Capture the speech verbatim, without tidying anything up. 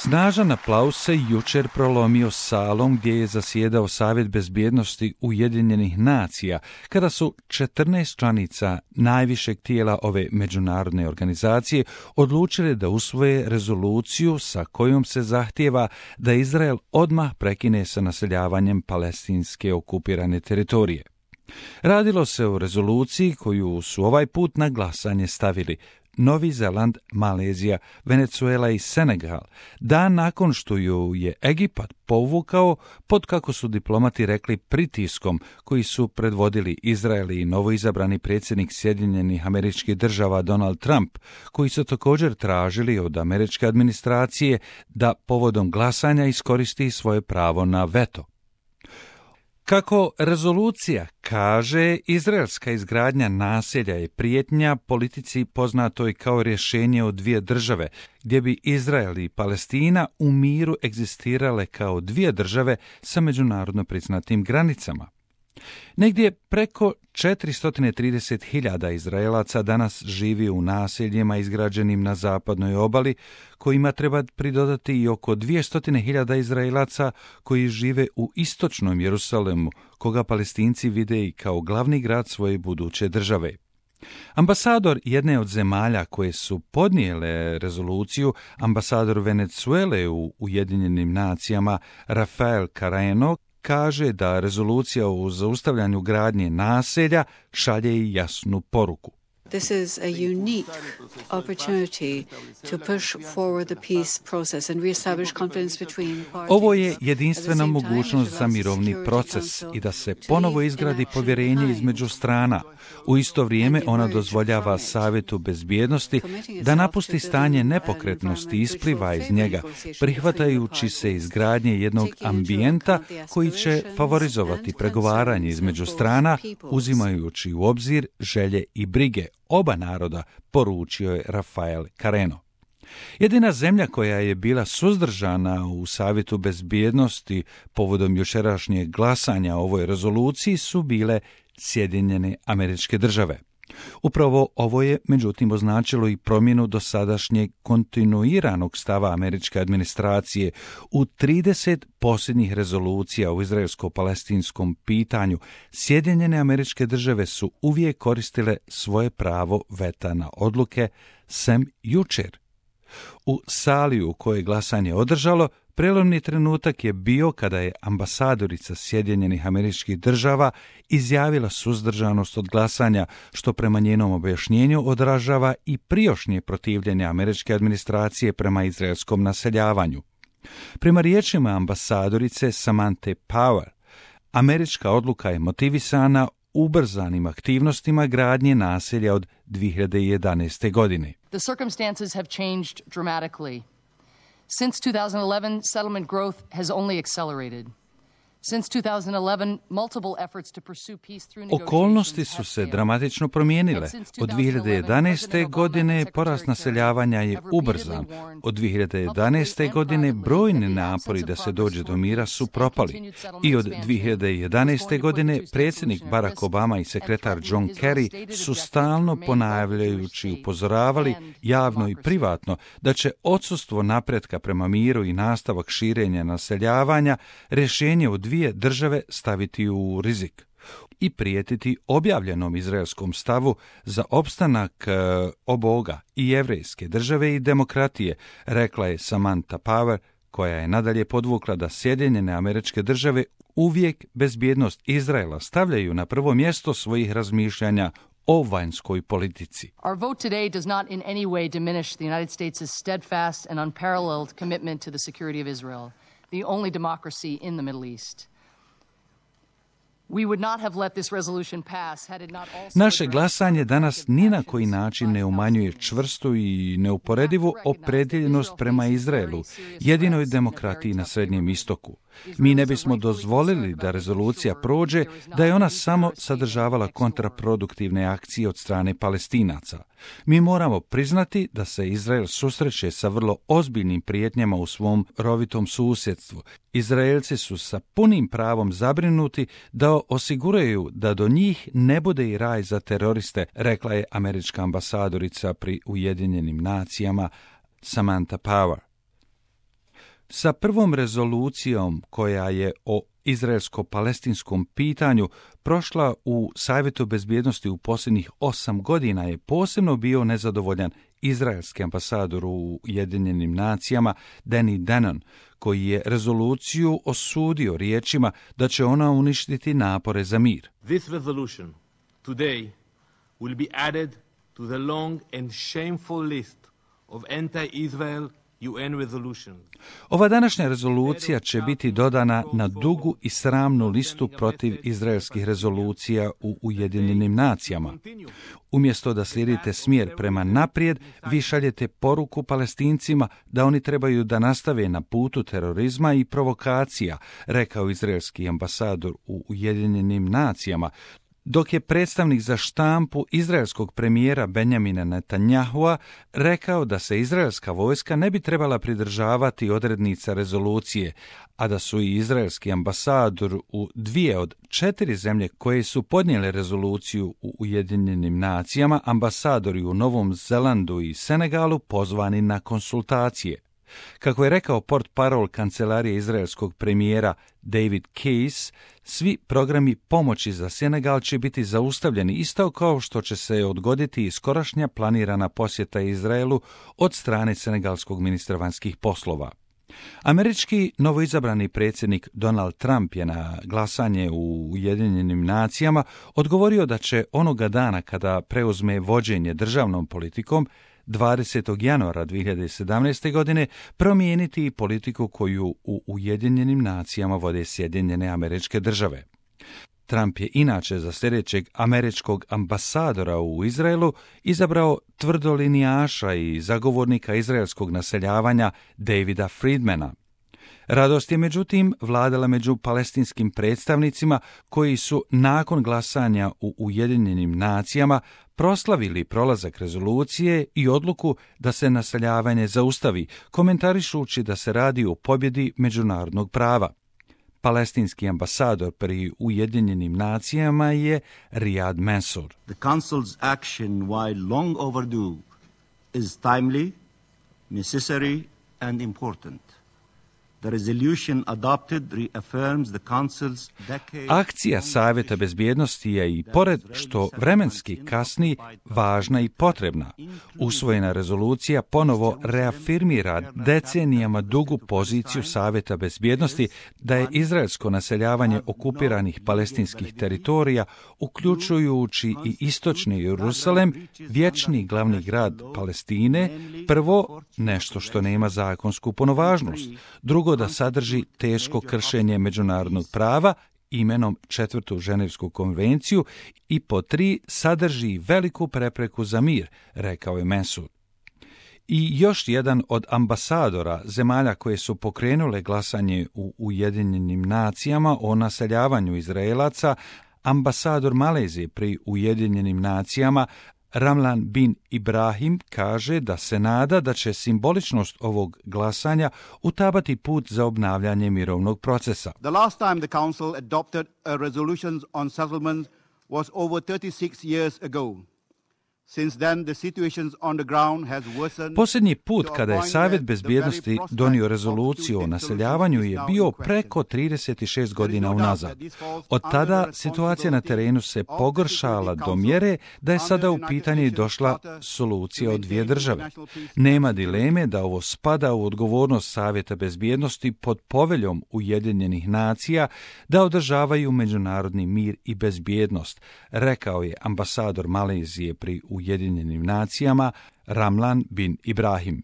Snažan aplauz se jučer prolomio salom gdje je zasjedao Savjet bezbjednosti Ujedinjenih nacija, kada su četrnaest članica najvišeg tijela ove međunarodne organizacije odlučile da usvoje rezoluciju sa kojom se zahtijeva da Izrael odmah prekine sa naseljavanjem palestinske okupirane teritorije. Radilo se o rezoluciji koju su ovaj put na glasanje stavili Novi Zeland, Malezija, Venezuela i Senegal, dan nakon što ju je Egipat povukao pod, kako su diplomati rekli, pritiskom koji su predvodili Izrael i novoizabrani predsjednik Sjedinjenih Američkih Država Donald Trump, koji su također tražili od američke administracije da povodom glasanja iskoristi svoje pravo na veto. Kako rezolucija kaže, izraelska izgradnja naselja je prijetnja politici poznatoj kao rješenje od dvije države, gdje bi Izrael i Palestina u miru egzistirale kao dvije države sa međunarodno priznatim granicama. Negdje preko četiristo trideset hiljada Izraelaca danas živi u naseljima izgrađenim na zapadnoj obali, kojima treba pridodati i oko dvjesto hiljada Izraelaca koji žive u istočnom Jerusalemu, koga Palestinci vide i kao glavni grad svoje buduće države. Ambasador jedne od zemalja koje su podnijele rezoluciju, ambasador Venezuele u Ujedinjenim nacijama Rafael Carreno, kaže da rezolucija o zaustavljanju gradnje naselja šalje i jasnu poruku. This is a unique opportunity to push forward the peace process and reestablish confidence between parties. Ovo je jedinstvena mogućnost za mirovni proces i da se ponovo izgradi povjerenje između strana. U isto vrijeme ona dozvoljava Savjetu bezbjednosti da napusti stanje nepokretnosti i ispliva iz njega, prihvatajući se izgradnje jednog ambijenta koji će favorizovati pregovaranje između strana, uzimajući u obzir želje i brige oba naroda, poručio je Rafael Carreno. Jedina zemlja koja je bila suzdržana u Savjetu bezbjednosti povodom jučerašnjeg glasanja o ovoj rezoluciji su bile Sjedinjene Američke Države. Upravo ovo je, međutim, označilo i promjenu dosadašnjeg kontinuiranog stava američke administracije. U trideset posljednjih rezolucija u izraelsko-palestinskom pitanju Sjedinjene Američke Države su uvijek koristile svoje pravo veta na odluke, sem jučer. U sali u kojoj glasanje održalo, prelomni trenutak je bio kada je ambasadorica Sjedinjenih Američkih Država izjavila suzdržanost od glasanja, što prema njenom objašnjenju odražava i prijašnje protivljenje američke administracije prema izraelskom naseljavanju. Prema riječima ambasadorice Samanthe Power, američka odluka je motivisana ubrzanim aktivnostima gradnje naselja od dvije hiljade jedanaeste. godine. The circumstances have changed dramatically. Since two thousand eleven, settlement growth has only accelerated. Since two thousand eleven, multiple efforts to pursue peace through negotiations. Okolnosti su se dramatično promijenile. Od dvije hiljade jedanaeste. godine porast naseljavanja je ubrzan. Od dvije hiljade jedanaeste. godine brojni napori da se dođe do mira su propali. I od dvije hiljade jedanaeste. godine predsjednik Barack Obama i sekretar John Kerry su stalno ponavljajući upozoravali javno i privatno da će odsustvo napretka prema miru i nastavak širenja naseljavanja rješenje od dvije države staviti u rizik i prijetiti objavljenom izraelskom stavu za opstanak e, oboga i jevrejske države i demokratije, rekla je Samantha Power, koja je nadalje podvukla da Sjedinjene Američke Države uvijek bezbjednost Izraela stavljaju na prvo mjesto svojih razmišljanja o vanjskoj politici. Our vote today does not in any way diminish the United States' steadfast and unparalleled commitment to the security of Israel, the only democracy in the Middle East. We would not have let this resolution pass had it not also. Naše glasanje danas ni na koji način ne umanjuje čvrstu i neuporedivu opredjeljenost prema Izraelu, jedinoj demokratiji na Srednjem istoku. Mi ne bismo dozvolili da rezolucija prođe, da je ona samo sadržavala kontraproduktivne akcije od strane Palestinaca. Mi moramo priznati da se Izrael susreće sa vrlo ozbiljnim prijetnjama u svom rovitom susjedstvu. Izraelci su sa punim pravom zabrinuti da osiguraju da do njih ne bude i raj za teroriste, rekla je američka ambasadorica pri Ujedinjenim nacijama Samantha Power. Sa prvom rezolucijom koja je o izraelsko-palestinskom pitanju prošla u Savjetu bezbjednosti u posljednjih osam godina je posebno bio nezadovoljan izraelski ambasador u Ujedinjenim nacijama Danny Danon, koji je rezoluciju osudio riječima da će ona uništiti napore za mir. This resolution today will be added to the long and shameful list of anti-Israel U N resolutions. Ova današnja rezolucija će biti dodana na dugu i sramnu listu protiv izraelskih rezolucija u Ujedinjenim nacijama. Umjesto da slijedite smjer prema naprijed, vi šaljete poruku Palestincima da oni trebaju da nastave na putu terorizma i provokacija, rekao izraelski ambasador u Ujedinjenim nacijama, dok je predstavnik za štampu izraelskog premijera Benjamina Netanyahua rekao da se izraelska vojska ne bi trebala pridržavati odrednica rezolucije, a da su i izraelski ambasador u dvije od četiri zemlje koje su podnijele rezoluciju u Ujedinjenim nacijama, ambasadori u Novom Zelandu i Senegalu pozvani na konsultacije. Kako je rekao portparol kancelarije izraelskog premijera David Case, svi programi pomoći za Senegal će biti zaustavljeni isto kao što će se odgoditi i skorašnja planirana posjeta Izraelu od strane senegalskog ministra vanjskih poslova. Američki novoizabrani predsjednik Donald Trump je na glasanje u Ujedinjenim nacijama odgovorio da će onoga dana kada preuzme vođenje državnom politikom dvadesetog januara dvije hiljade sedamnaeste. godine promijeniti politiku koju u Ujedinjenim nacijama vode Sjedinjene Američke Države. Trump je inače za sljedećeg američkog ambasadora u Izraelu izabrao tvrdolinijaša i zagovornika izraelskog naseljavanja Davida Friedmana. Radost je međutim vladala među palestinskim predstavnicima koji su nakon glasanja u Ujedinjenim nacijama proslavili prolazak rezolucije i odluku da se naseljavanje zaustavi, komentarišući da se radi o pobjedi međunarodnog prava. Palestinski ambasador pri Ujedinjenim nacijama je Riyad Mansour. The Council's action, while long overdue, is timely, necessary and important. The resolution adopted reaffirms the Council's decade... Akcija Savjeta bezbjednosti je i pored što vremenski kasni važna i potrebna. Usvojena rezolucija ponovo reafirmira decenijama dugu poziciju Savjeta bezbjednosti da je izraelsko naseljavanje okupiranih palestinskih teritorija, uključujući i istočni Jerusalem, vječni glavni grad Palestine, prvo nešto što nema zakonsku punovažnost, drugo da sadrži teško kršenje međunarodnog prava imenom četvrtu Ženevsku konvenciju i po tri sadrži veliku prepreku za mir, rekao je Mansour. I još jedan od ambasadora zemalja koje su pokrenule glasanje u Ujedinjenim nacijama o naseljavanju Izraelaca, ambasador Malezije pri Ujedinjenim nacijama Ramlan bin Ibrahim kaže da se nada da će simboličnost ovog glasanja utabati put za obnavljanje mirovnog procesa. The last time the Council adopted a resolution on settlement was over thirty-six years ago. Since then, the situations on the ground has worsened. Posljednji put kada je Savjet bezbjednosti donio rezoluciju o naseljavanju je bio preko trideset šest godina unazad. Od tada situacija na terenu se pogoršala do mjere da je sada u pitanje došla solucija od dvije države. Nema dileme da ovo spada u odgovornost Savjeta bezbjednosti pod poveljom Ujedinjenih nacija da održavaju međunarodni mir i bezbjednost, rekao je ambasador Malezije pri Ujedinjenim nacijama Ramlan bin Ibrahim.